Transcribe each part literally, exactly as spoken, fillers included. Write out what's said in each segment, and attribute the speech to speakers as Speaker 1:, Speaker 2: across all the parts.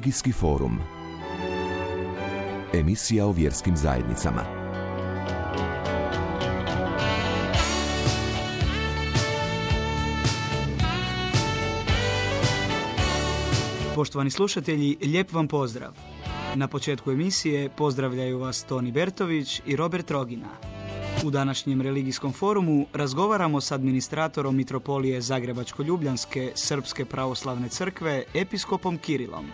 Speaker 1: Religijski forum. Emisija o vjerskim zajednicama.
Speaker 2: Poštovani slušatelji, lijep vam pozdrav. Na početku emisije pozdravljaju vas Toni Bertović i Robert Rogina. U današnjem religijskom forumu razgovaramo s administratorom Mitropolije Zagrebačko-Ljubljanske Srpske pravoslavne crkve, episkopom Kirilom.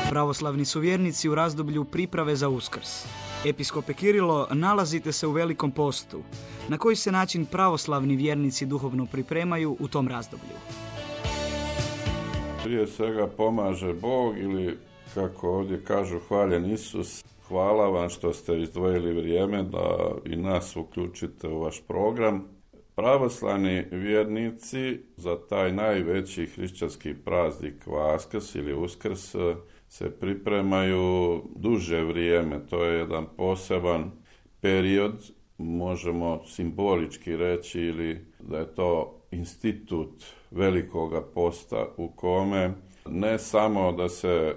Speaker 2: Pravoslavni su vjernici u razdoblju priprave za Uskrs. Episkope Kirilo, nalazite se u Velikom postu. Na koji se način pravoslavni vjernici duhovno pripremaju u tom razdoblju?
Speaker 3: Prije svega pomaže Bog ili, kako ovdje kažu, hvaljen Isus. Hvala vam što ste izdvojili vrijeme da i nas uključite u vaš program. Pravoslavni vjernici za taj najveći hrišćanski praznik Vaskrs ili Uskrs se pripremaju duže vrijeme. To je jedan poseban period, možemo simbolički reći, ili da je to institut Velikoga posta u kome ne samo da se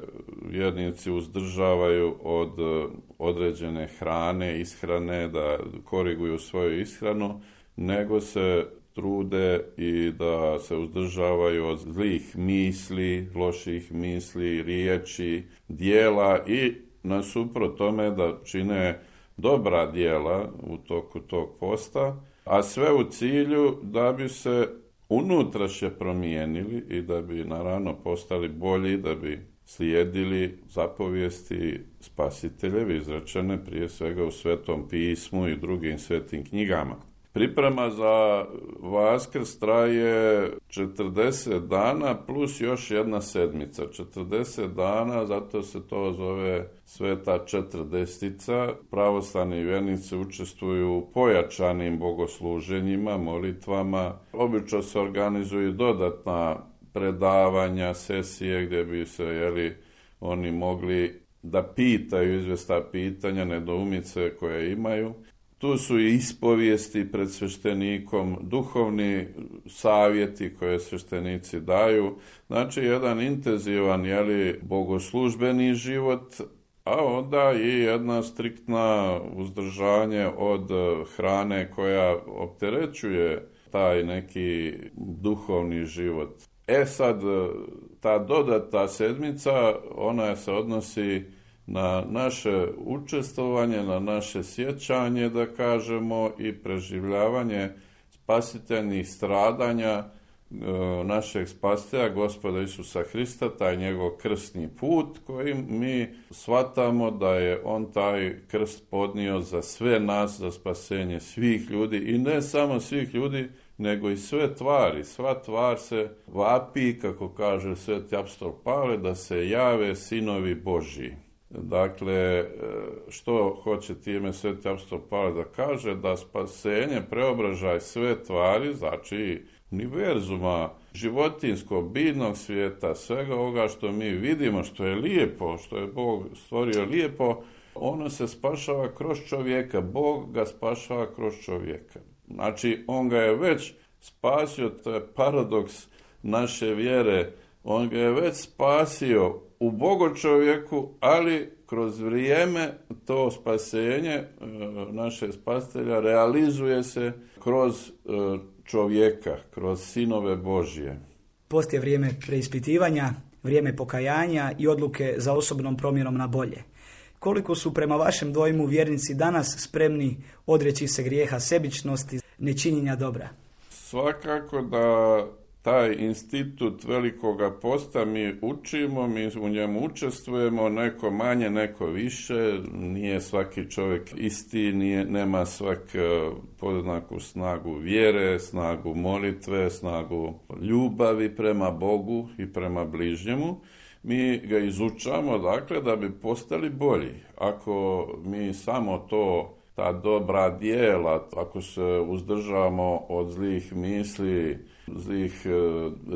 Speaker 3: vjernici uzdržavaju od određene hrane, ishrane, da koriguju svoju ishranu, nego se trude i da se uzdržavaju od zlih misli, loših misli, riječi, dijela i nasuprot tome da čine dobra djela u toku tog posta, a sve u cilju da bi se unutrašnje promijenili i da bi naravno postali bolji, da bi slijedili zapovijesti Spasiteljevi izrečene prije svega u Svetom pismu i drugim svetim knjigama. Priprema za Vaskrs traje četrdeset dana plus još jedna sedmica. četrdeset dana, zato se to zove Sveta četrdestica. Pravoslavni vjernici učestvuju u pojačanim bogosluženjima, molitvama. Obično se organizuju dodatna predavanja, sesije gdje bi se jeli, oni mogli da pitaju izvjesna pitanja, nedoumice koje imaju. Tu su i ispovijesti pred sveštenikom, duhovni savjeti koje sveštenici daju. Znači, jedan intenzivan jeli, bogoslužbeni život, a onda i jedna striktna uzdržanje od hrane koja opterećuje taj neki duhovni život. E sad, ta dodatna sedmica, ona se odnosi na naše učestvovanje, na naše sjećanje, da kažemo, i preživljavanje spasiteljnih stradanja e, našeg spasitelja, Gospoda Isusa Hrista, taj njegov krstni put koji mi shvatamo da je on taj krst podnio za sve nas, za spasenje svih ljudi i ne samo svih ljudi, nego i sve tvari. Sva tvar se vapi, kako kaže sveti apostol Pavle, da se jave sinovi Božji. Dakle, što hoće time sveti apostol Pavle da kaže? Da spasenje, preobražaj sve tvari, znači univerzuma, životinskog, biljnog svijeta, svega ovoga što mi vidimo, što je lijepo, što je Bog stvorio lijepo, ono se spašava kroz čovjeka. Bog ga spašava kroz čovjeka. Znači, on ga je već spasio, to je paradoks naše vjere, on ga je već spasio u Bogočovjeku, ali kroz vrijeme to spasenje e, naše spasitelja realizuje se kroz e, čovjeka, kroz sinove Božje.
Speaker 2: Post je vrijeme preispitivanja, vrijeme pokajanja i odluke za osobnom promjenom na bolje. Koliko su prema vašem dojmu vjernici danas spremni odreći se grijeha sebičnosti, nečinjenja dobra?
Speaker 3: Svakako da taj institut Velikoga posta mi učimo, mi u njemu učestvujemo, neko manje, neko više, nije svaki čovjek isti, nije, nema svak podjednaku snagu vjere, snagu molitve, snagu ljubavi prema Bogu i prema bližnjemu. Mi ga izučamo, dakle, da bi postali bolji. Ako mi samo to, ta dobra djela, ako se uzdržavamo od zlih misli, zlih e,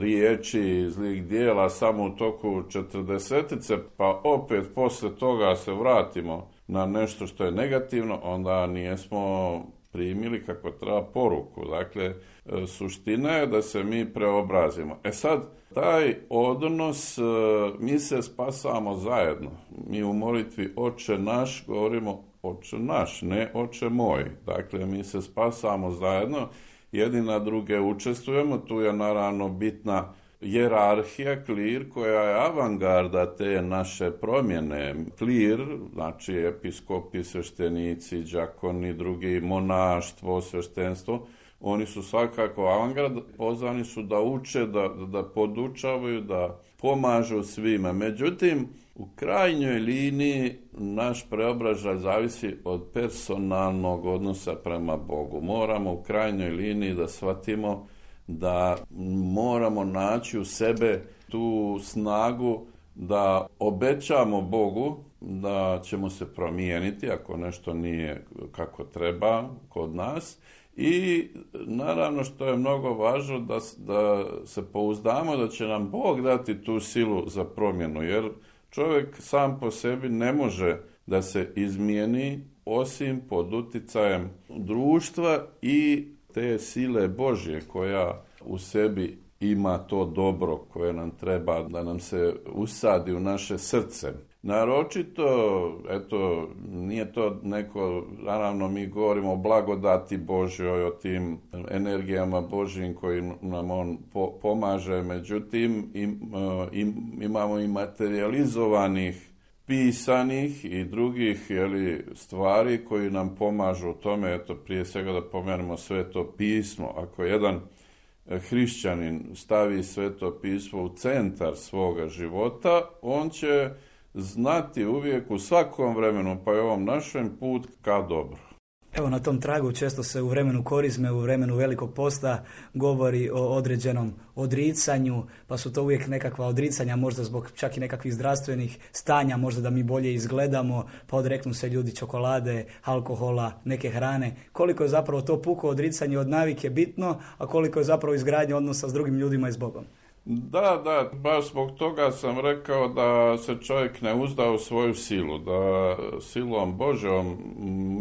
Speaker 3: riječi, zlih dijela samo u toku četrdesetice, pa opet poslije toga se vratimo na nešto što je negativno, onda nijesmo primili kako treba poruku. Dakle, suština je da se mi preobrazimo. E sad, taj odnos, mi se spasamo zajedno. Mi u molitvi Oče naš govorimo Oče naš, ne Oče moj. Dakle, mi se spasamo zajedno, jedni na druge učestvujemo, tu je naravno bitna hijerarhija, klir, koja je avangarda te naše promjene. Klir, znači episkopi, sveštenici, đakoni, drugi, monaštvo, sveštenstvo, oni su svakako avangard, pozvani su da uče, da, da podučavaju, da pomažu svima. Međutim, u krajnjoj liniji naš preobražaj zavisi od personalnog odnosa prema Bogu. Moramo u krajnjoj liniji da shvatimo da moramo naći u sebe tu snagu da obećamo Bogu da ćemo se promijeniti ako nešto nije kako treba kod nas. I naravno što je mnogo važno da, da se pouzdamo da će nam Bog dati tu silu za promjenu, jer čovjek sam po sebi ne može da se izmijeni osim pod uticajem društva i te sile Božje koja u sebi ima to dobro koje nam treba da nam se usadi u naše srce. Naročito, eto, nije to neko, naravno mi govorimo o blagodati Božjoj, o tim energijama Božjim kojim nam on po, pomaže, međutim im, im, imamo i materializovanih, pisanih i drugih jeli, stvari koji nam pomažu u tome. Eto, prije svega da pomenemo Sveto pismo. Ako jedan hrišćanin stavi Sveto pismo u centar svoga života, on će znati uvijek u svakom vremenu, pa i ovom našem, put ka dobro.
Speaker 2: Evo, na tom tragu često se u vremenu korizme, u vremenu velikog posta govori o određenom odricanju, pa su to uvijek nekakva odricanja, možda zbog čak i nekakvih zdravstvenih stanja, možda da mi bolje izgledamo, pa odreknu se ljudi čokolade, alkohola, neke hrane. Koliko je zapravo to puko odricanje od navike bitno, a koliko je zapravo izgradnja odnosa s drugim ljudima i s Bogom?
Speaker 3: Da, da, baš zbog toga sam rekao da se čovjek ne uzda u svoju silu, da silom Božjom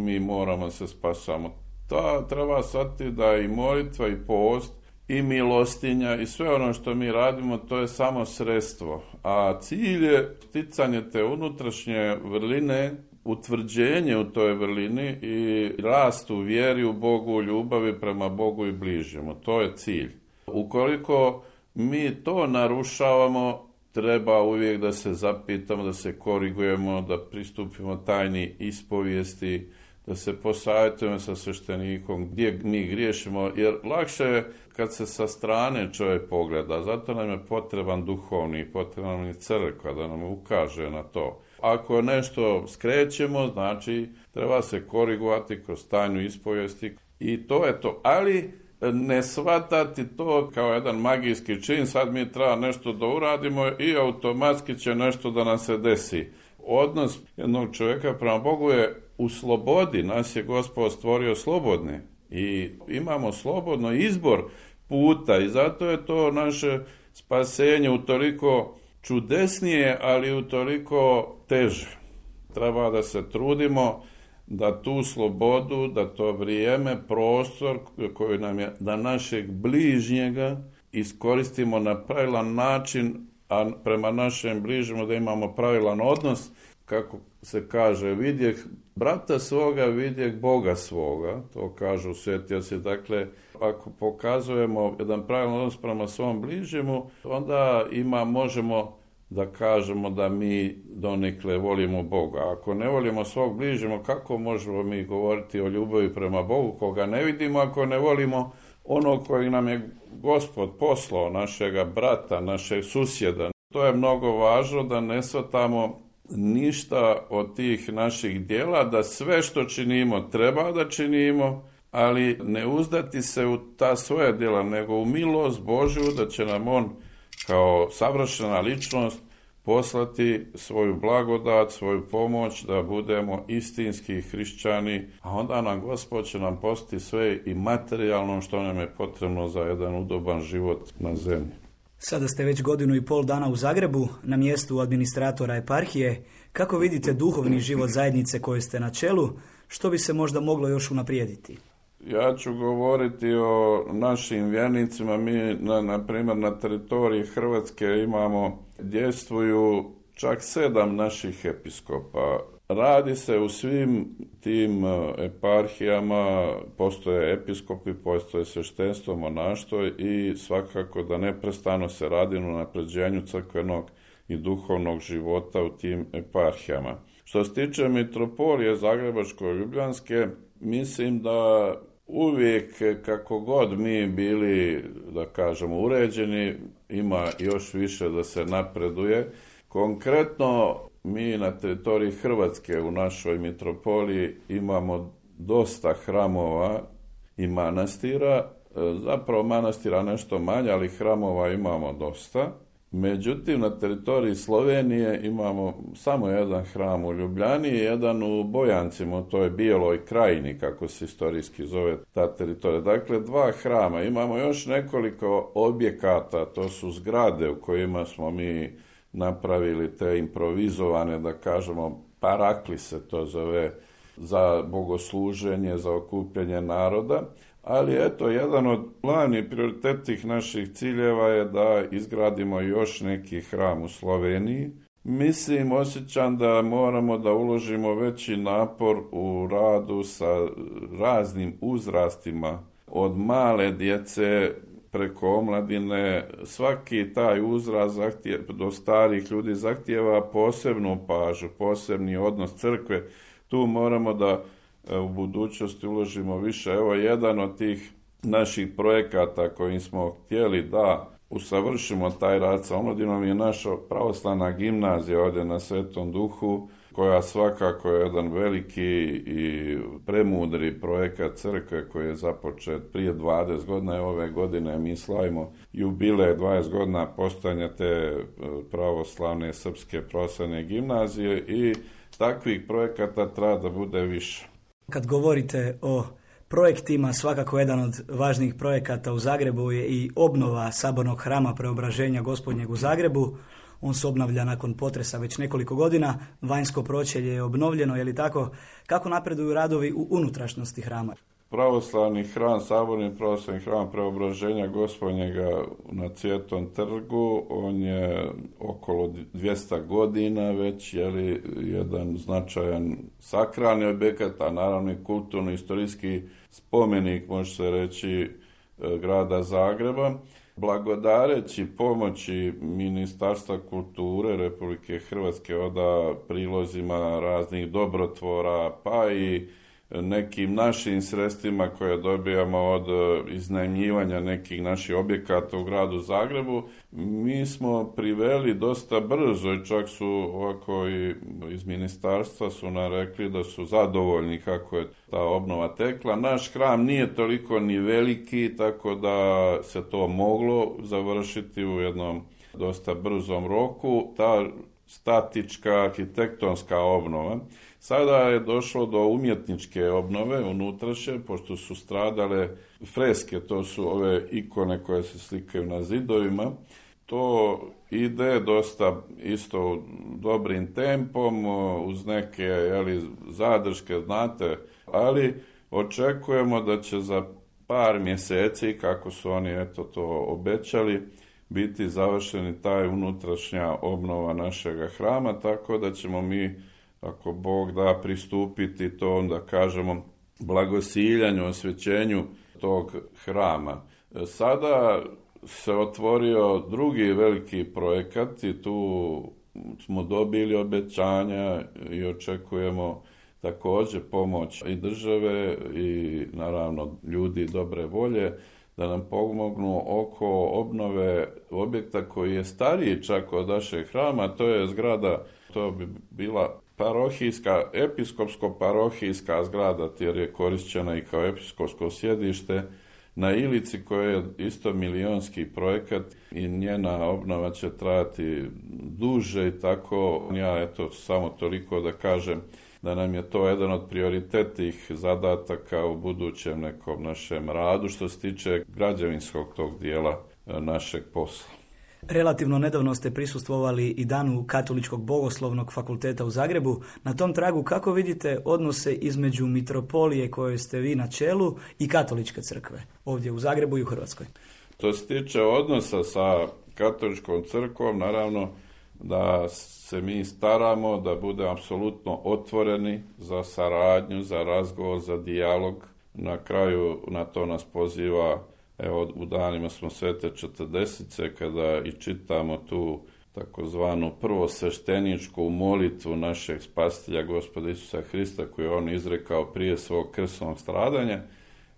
Speaker 3: mi moramo se spasamo. To treba shvatiti da i molitva i post i milostinja i sve ono što mi radimo, to je samo sredstvo. A cilj je sticanje te unutrašnje vrline, utvrđenje u toj vrlini i rast u vjeri u Bogu, u ljubavi prema Bogu i bližnjemu. To je cilj. Ukoliko mi to narušavamo, treba uvijek da se zapitamo, da se korigujemo, da pristupimo tajni ispovijesti, da se posavjetujemo sa sveštenikom gdje mi griješimo, jer lakše je kad se sa strane čovjek pogleda. Zato nam je potreban duhovni, potreban nam je crkva da nam ukaže na to. Ako nešto skrećemo, znači treba se korigovati kroz tajnu ispovijesti i to je to. Ali ne shvatati to kao jedan magijski čin, sad mi treba nešto da uradimo i automatski će nešto da nam se desi. Odnos jednog čovjeka prema Bogu je u slobodi, nas je Gospod stvorio slobodni i imamo slobodno izbor puta i zato je to naše spasenje utoliko čudesnije, ali utoliko teže. Treba da se trudimo da tu slobodu, da to vrijeme, prostor koji nam je da našeg bližnjega iskoristimo na pravilan način, a prema našem bližnjemu da imamo pravilan odnos, kako se kaže, vidjeh brata svoga, vidjeh Boga svoga, to kažu sveti oci. Dakle, ako pokazujemo jedan pravilan odnos prema svom bližnjemu, onda ima, možemo da kažemo da mi donekle volimo Boga. Ako ne volimo svog bližnjega, kako možemo mi govoriti o ljubavi prema Bogu koga ne vidimo, ako ne volimo onog koji nam je Gospod poslao, našega brata, našeg susjeda? To je mnogo važno da ne shvatamo ništa od tih naših djela, da sve što činimo treba da činimo, ali ne uzdati se u ta svoja djela, nego u milost Božju da će nam on kao savršena ličnost poslati svoju blagodat, svoju pomoć da budemo istinski hrišćani, a onda nam Gospod će nam postati sve i materijalno što nam je potrebno za jedan udoban život na zemlji.
Speaker 2: Sada ste već godinu i pol dana u Zagrebu, na mjestu administratora eparhije. Kako vidite duhovni život zajednice koje ste na čelu? Što bi se možda moglo još unaprijediti?
Speaker 3: Ja ću govoriti o našim vjernicima. Mi, na, na primjer, na teritoriji Hrvatske imamo, djeluju čak sedam naših episkopa. Radi se u svim tim eparhijama, postoje episkopi, postoje sveštenstvo, monaštvo i svakako da neprestano se radi na unapređenju crkvenog i duhovnog života u tim eparhijama. Što se tiče mitropolije Zagrebačko-Ljubljanske, mislim da uvijek, kako god mi bili, da kažemo, uređeni, ima još više da se napreduje. Konkretno, mi na teritoriji Hrvatske u našoj mitropoliji imamo dosta hramova i manastira, zapravo manastira nešto manje, ali hramova imamo dosta. Međutim, na teritoriji Slovenije imamo samo jedan hram u Ljubljani i jedan u Bojancima, u toj Bijeloj krajini, kako se istorijski zove ta teritorija. Dakle, dva hrama. Imamo još nekoliko objekata, to su zgrade u kojima smo mi napravili te improvizovane, da kažemo, parakli se to zove, za bogosluženje, za okupljanje naroda. Ali eto, jedan od glavnih prioritetnih naših ciljeva je da izgradimo još neki hram u Sloveniji. Mislim, osjećam da moramo da uložimo veći napor u radu sa raznim uzrastima, od male djece preko omladine. Svaki taj uzrast zahtjeva, do starih ljudi zahtijeva posebnu pažnju, posebni odnos crkve. Tu moramo da u budućnosti uložimo više. Evo, jedan od tih naših projekata kojim smo htjeli da usavršimo taj rad sa omladinom je naša pravoslavna gimnazija ovdje na Svetom Duhu, koja svakako je jedan veliki i premudri projekat crkve koji je započet prije dvadeset godina. Ove godine mi slavimo jubilej dvadeset godina postojanja te pravoslavne srpske pravoslavne gimnazije i takvih projekata treba da bude više.
Speaker 2: Kad govorite o projektima, svakako jedan od važnijih projekata u Zagrebu je i obnova sabornog hrama Preobraženja Gospodnjeg u Zagrebu. On se obnavlja nakon potresa već nekoliko godina, vanjsko pročelje je obnovljeno, je li tako? Kako napreduju radovi u unutrašnjosti hrama?
Speaker 3: Pravoslavni hram, saborni pravoslavni hram Preobraženja Gospodnjega na Cvjetnom trgu, on je okolo dvjesto godina već, je li, jedan značajan sakralni objekat, a naravno i kulturno-istorijski spomenik, može se reći, grada Zagreba. Blagodareći pomoći Ministarstva kulture Republike Hrvatske, oda prilozima raznih dobrotvora, pa i nekim našim sredstvima koje dobijamo od iznajmljivanja nekih naših objekata u gradu Zagrebu, mi smo priveli dosta brzo i čak su ovako i iz ministarstva su nam rekli da su zadovoljni kako je ta obnova tekla. Naš hram nije toliko ni veliki, tako da se to moglo završiti u jednom dosta brzom roku. Ta statička arhitektonska obnova. Sada je došlo do umjetničke obnove unutrašnje, pošto su stradale freske, to su ove ikone koje se slikaju na zidovima. To ide dosta isto dobrim tempom, uz neke, jeli, zadrške, znate, ali očekujemo da će za par mjeseci, kako su oni eto to obećali, biti završeni taj unutrašnja obnova našega hrama, tako da ćemo mi, ako Bog da, pristupiti to, onda kažemo, blagosiljanju, osvećenju tog hrama. Sada se otvorio drugi veliki projekat i tu smo dobili obećanja i očekujemo također pomoć i države i naravno ljudi dobre volje da nam pomognu oko obnove objekta koji je stariji čak od našeg hrama, to je zgrada, to bi bila parohijska, episkopsko-parohijska zgrada, jer je korišćena i kao episkopsko sjedište na Ilici, koja je isto milionski projekat i njena obnova će trajati duže i tako. Ja eto samo toliko da kažem da nam je to jedan od prioritetnih zadataka u budućem nekom našem radu što se tiče građevinskog tog dijela našeg posla.
Speaker 2: Relativno nedavno ste prisustvovali i danu Katoličkog bogoslovnog fakulteta u Zagrebu. Na tom tragu kako vidite odnose između mitropolije koje ste vi na čelu i Katoličke crkve ovdje u Zagrebu i u Hrvatskoj?
Speaker 3: To se tiče odnosa sa Katoličkom crkvom, naravno da se mi staramo da bude apsolutno otvoreni za saradnju, za razgovor, za dijalog. Na kraju na to nas poziva, evo u danima smo Svete četrdesetice kada i čitamo tu takozvanu prvosvešteničku molitvu našeg spasitelja Gospoda Isusa Hrista koju je on izrekao prije svog krsnog stradanja,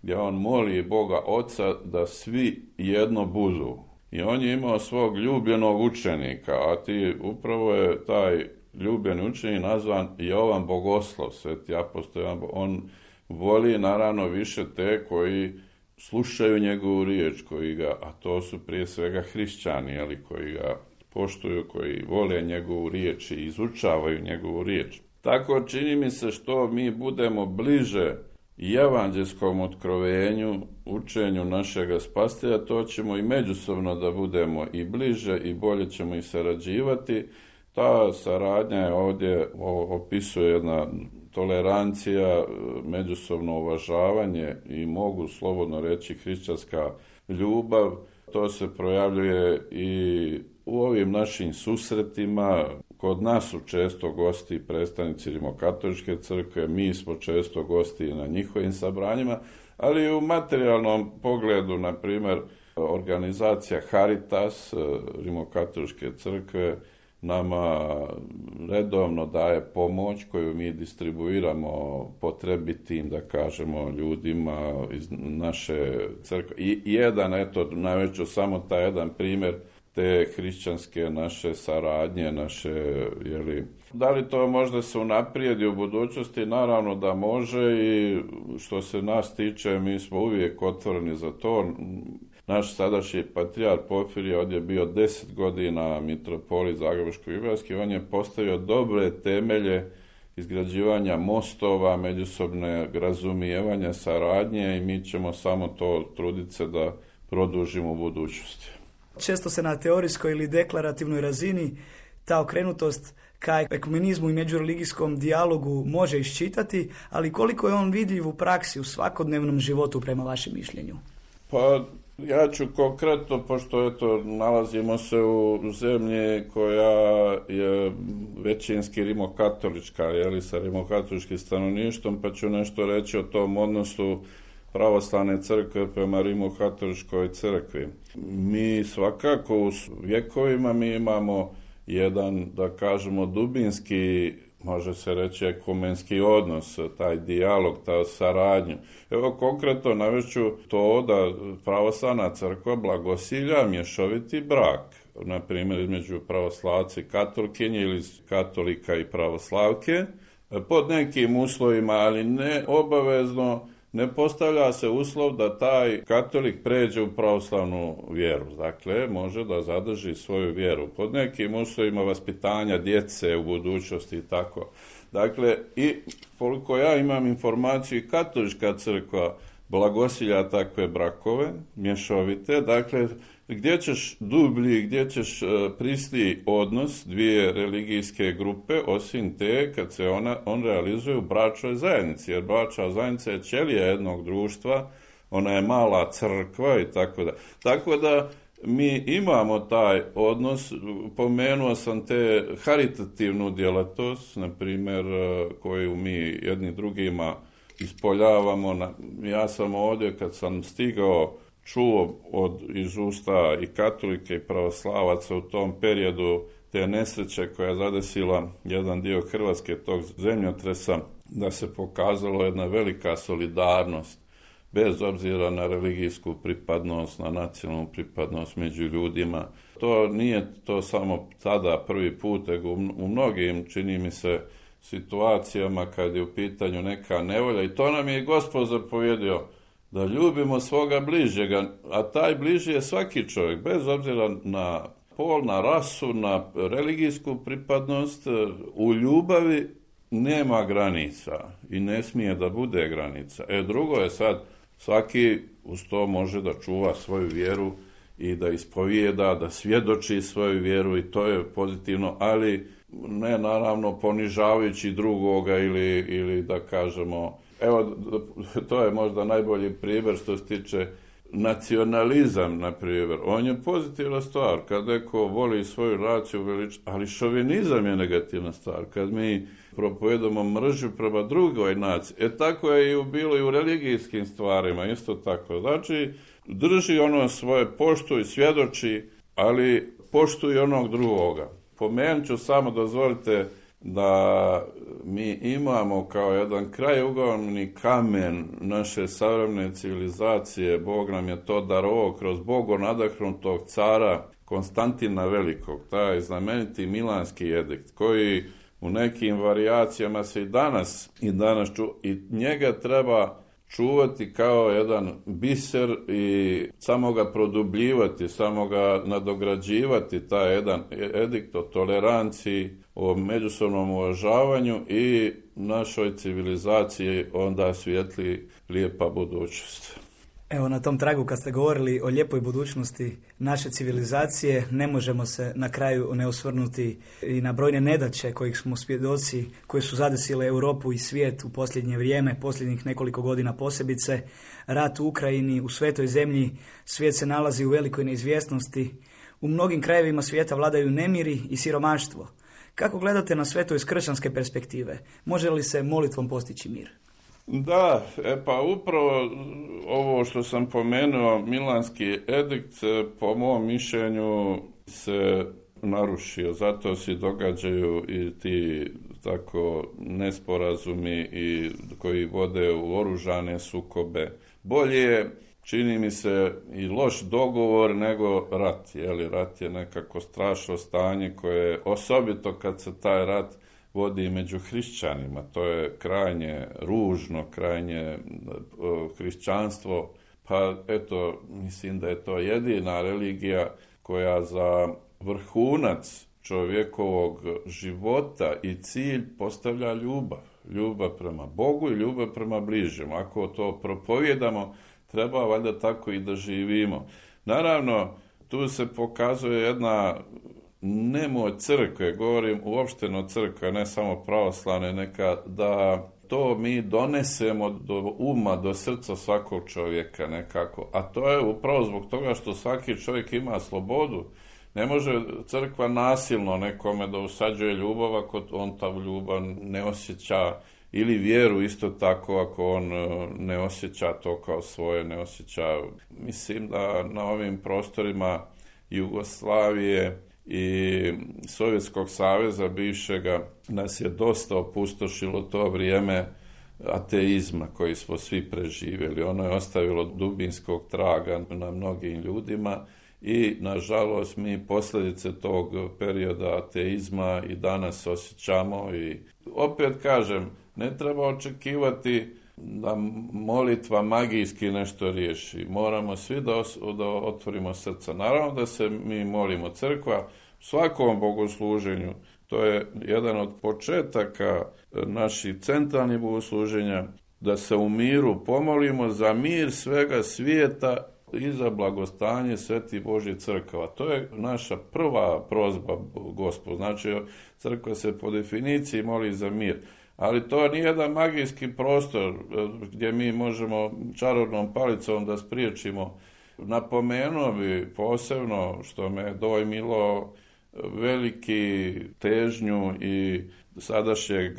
Speaker 3: gdje on moli Boga Oca da svi jedno budu. I on je imao svog ljubljenog učenika, a ti upravo je taj ljubljeni učenik nazvan Jovan Bogoslov, sveti apostol Jovan. On voli naravno više te koji slušaju njegovu riječ, koji ga, a to su prije svega hrišćani, ali koji ga poštuju, koji vole njegovu riječ i izučavaju njegovu riječ. Tako čini mi se što mi budemo bliže i evanđelskom otkrovenju, učenju našega spasitelja, to ćemo i međusobno da budemo i bliže i bolje ćemo i sarađivati. Ta saradnja je ovdje opisuje jedna tolerancija, međusobno uvažavanje i mogu slobodno reći hrišćanska ljubav. To se projavljuje i u ovim našim susretima. Kod nas su često gosti predstavnici Rimokatoličke crkve, mi smo često gosti na njihovim sabranjima, ali i u materijalnom pogledu, na primjer, organizacija Caritas Rimokatoličke crkve nama redovno daje pomoć koju mi distribuiramo potrebitim, da kažemo, ljudima iz naše crkve. I jedan, eto, navešću samo taj jedan primjer te hrišćanske naše saradnje, naše, jeli, da li to možda se unaprijedi u budućnosti? Naravno da može i što se nas tiče, mi smo uvijek otvoreni za to. Naš sadašnji patrijarh Porfirije ovdje je bio deset godina mitropolit Zagrebačko-Ibarski, on je postavio dobre temelje izgrađivanja mostova, međusobne razumijevanja, saradnje i mi ćemo samo to truditi se da produžimo u budućnosti.
Speaker 2: Često se na teorijskoj ili deklarativnoj razini ta okrenutost ka ekumenizmu i međureligijskom dijalogu može iščitati, ali koliko je on vidljiv u praksi, u svakodnevnom životu prema vašem mišljenju?
Speaker 3: Pa ja ću konkretno, pošto eto, nalazimo se u zemlji koja je većinski rimokatolička, jeli, sa rimokatoličkim stanovništvom, pa ću nešto reći o tom odnosu pravoslavne crkve prema Rimokatoličkoj crkvi. Mi svakako u vjekovima mi imamo jedan, da kažemo, dubinski, može se reći, ekumenski odnos, taj dijalog, ta saradnju. Evo konkretno navešću to da pravoslavna crkva blagosilja mješoviti brak, na primjer između pravoslavci i katolkinje ili katolika i pravoslavke, pod nekim uslovima, ali ne obavezno. Ne postavlja se uslov da taj katolik pređe u pravoslavnu vjeru. Dakle, može da zadrži svoju vjeru pod nekim uslovima vaspitanja djece u budućnosti i tako. Dakle, i koliko ja imam informaciju, i katolička crkva blagosilja takve brakove, mješovite. Dakle, gdje ćeš dublji, gdje ćeš prisniji odnos dvije religijske grupe, osim te kad se ona, on realizuje u bračnoj zajednici, jer bračna zajednica je ćelija jednog društva, ona je mala crkva i tako da. Tako da mi imamo taj odnos, pomenuo sam te haritativnu djelatnost, na primjer, koju mi jedni drugima ispoljavamo. Ja sam ovdje kad sam stigao čuo od iz usta i katolike i pravoslavaca u tom periodu te nesreće koja je zadesila jedan dio Hrvatske, tog zemljotresa, da se pokazalo jedna velika solidarnost bez obzira na religijsku pripadnost, na nacionalnu pripadnost među ljudima. To nije to samo tada prvi put, nego u mnogim, čini mi se, situacijama kad je u pitanju neka nevolja, i to nam je Gospod zapovjedio, da ljubimo svoga bližnjega, a taj bližnji je svaki čovjek, bez obzira na pol, na rasu, na religijsku pripadnost. U ljubavi nema granica i ne smije da bude granica. E drugo je sad, svaki uz to može da čuva svoju vjeru i da ispovijeda, da svjedoči svoju vjeru i to je pozitivno, ali ne naravno ponižavajući drugoga ili, ili da kažemo, evo to je možda najbolji primjer što se tiče nacionalizam, na primjer, on je pozitivna stvar, kad neko voli svoju naciju velič, ali šovinizam je negativna stvar, kad mi propovedamo mržnju prema drugoj naciji, e tako je i bilo i u religijskim stvarima, isto tako, znači drži ono svoje, poštuj, svjedoči, ali poštuj onog drugoga. Pomenut ću samo, dozvolite, da mi imamo kao jedan krajugovorni kamen naše savremene civilizacije, Bog nam je to darovao kroz Bogom nadahnutog cara Konstantina Velikog, taj znameniti Milanski edikt, koji u nekim varijacijama se i danas i danas ču, i njega treba čuvati kao jedan biser i samo ga produbljivati, samo ga nadograđivati, taj jedan edikt o toleranciji, o međusobnom uvažavanju i našoj civilizaciji onda svijetli lijepa budućnost.
Speaker 2: Evo, na tom tragu kad ste govorili o lijepoj budućnosti naše civilizacije, ne možemo se na kraju ne osvrnuti i na brojne nedaće kojih smo svjedoci, koje su zadesile Europu i svijet u posljednje vrijeme, posljednjih nekoliko godina posebice. Rat u Ukrajini, u svetoj zemlji, svijet se nalazi u velikoj neizvjesnosti. U mnogim krajevima svijeta vladaju nemiri i siromaštvo. Kako gledate na sve to iz kršćanske perspektive? Može li se molitvom postići mir?
Speaker 3: Da, e pa upravo ovo što sam pomenuo, Milanski edikt, po mom mišljenju se narušio, zato se događaju i ti tako nesporazumi i koji vode u oružane sukobe. Bolje je, čini mi se, i loš dogovor nego rat, jer rat je nekako strašno stanje koje, osobito kad se taj rat vodi među hrišćanima, to je krajnje ružno, krajnje hrišćanstvo, pa eto, mislim da je to jedina religija koja za vrhunac čovjekovog života i cilj postavlja ljubav. Ljubav prema Bogu i ljubav prema bližnjem. Ako to propovjedamo, treba valjda tako i da živimo. Naravno, tu se pokazuje jedna nemoć crkve, govorim uopšteno crkve, ne samo pravoslavne, neka da to mi donesemo do uma, do srca svakog čovjeka nekako. A to je upravo zbog toga što svaki čovjek ima slobodu. Ne može crkva nasilno nekome da usađuje ljubav ako on ta ljubav ne osjeća, ili vjeru isto tako ako on ne osjeća to kao svoje, ne osjeća. Mislim da na ovim prostorima Jugoslavije i Sovjetskog saveza bivšega nas je dosta opustošilo to vrijeme ateizma koji smo svi preživjeli. Ono je ostavilo dubinskog traga na mnogim ljudima i nažalost mi posljedice tog perioda ateizma i danas osjećamo i opet kažem, ne treba očekivati da molitva magijski nešto riješi. Moramo svi da, os- da otvorimo srca. Naravno da se mi molimo, crkva svakom bogosluženju, to je jedan od početaka naših centralnih bogosluženja, da se u miru pomolimo za mir svega svijeta i za blagostanje Sveti Božji crkava. To je naša prva prozba Gospod. Znači, crkva se po definiciji moli za mir. Ali to nije jedan magijski prostor gdje mi možemo čarobnom palicom da spriječimo. Napomenuo bi posebno, što me dojmilo, veliki težnju i sadašnjeg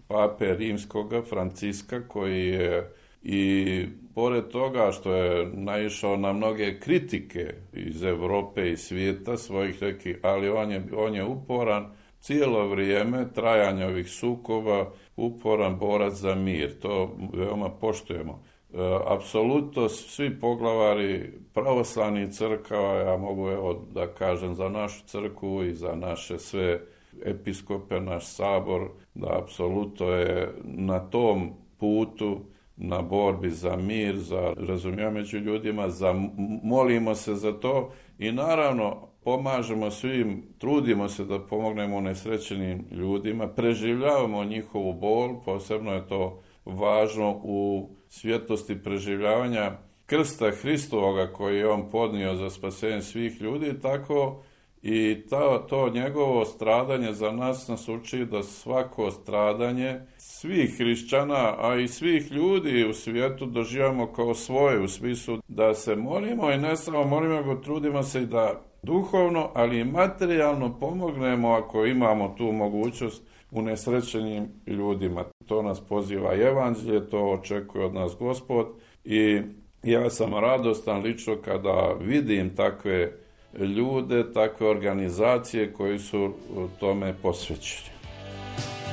Speaker 3: pape rimskoga Franciska, koji je i pored toga što je naišao na mnoge kritike iz Europe i svijeta svojih nekih, ali on je, on je uporan cijelo vrijeme trajanja ovih sukoba, uporan borac za mir. To veoma poštujemo. E, apsolutno svi poglavari pravoslavnih crkava, ja mogu evo da kažem za našu crkvu i za naše sve episkope, naš sabor, da apsolutno je na tom putu, na borbi za mir, za razumijevanje među ljudima, za, molimo se za to i naravno pomažemo svim, trudimo se da pomognemo nesrećenim ljudima, preživljavamo njihovu bol, posebno je to važno u svjetlosti preživljavanja krsta Hristovoga koji je on podnio za spasenje svih ljudi, tako i to, to njegovo stradanje za nas nas uči da svako stradanje svih hrišćana, a i svih ljudi u svijetu doživamo kao svoje, u smislu da se molimo i ne samo molimo, nego trudimo se i da duhovno, ali i materijalno pomognemo ako imamo tu mogućnost unesrećenim ljudima. To nas poziva evanđelje, to očekuje od nas Gospod i ja sam radostan lično kada vidim takve ljude, takve organizacije koji su tome posvećeni.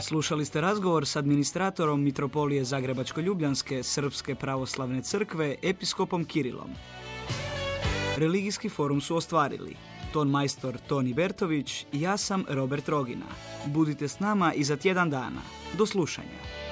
Speaker 2: Slušali ste razgovor s administratorom Mitropolije Zagrebačko-Ljubljanske Srpske pravoslavne crkve, episkopom Kirilom. Religijski forum su ostvarili ton majstor Toni Bertović i ja sam Robert Rogina. Budite s nama i za tjedan dana. Do slušanja.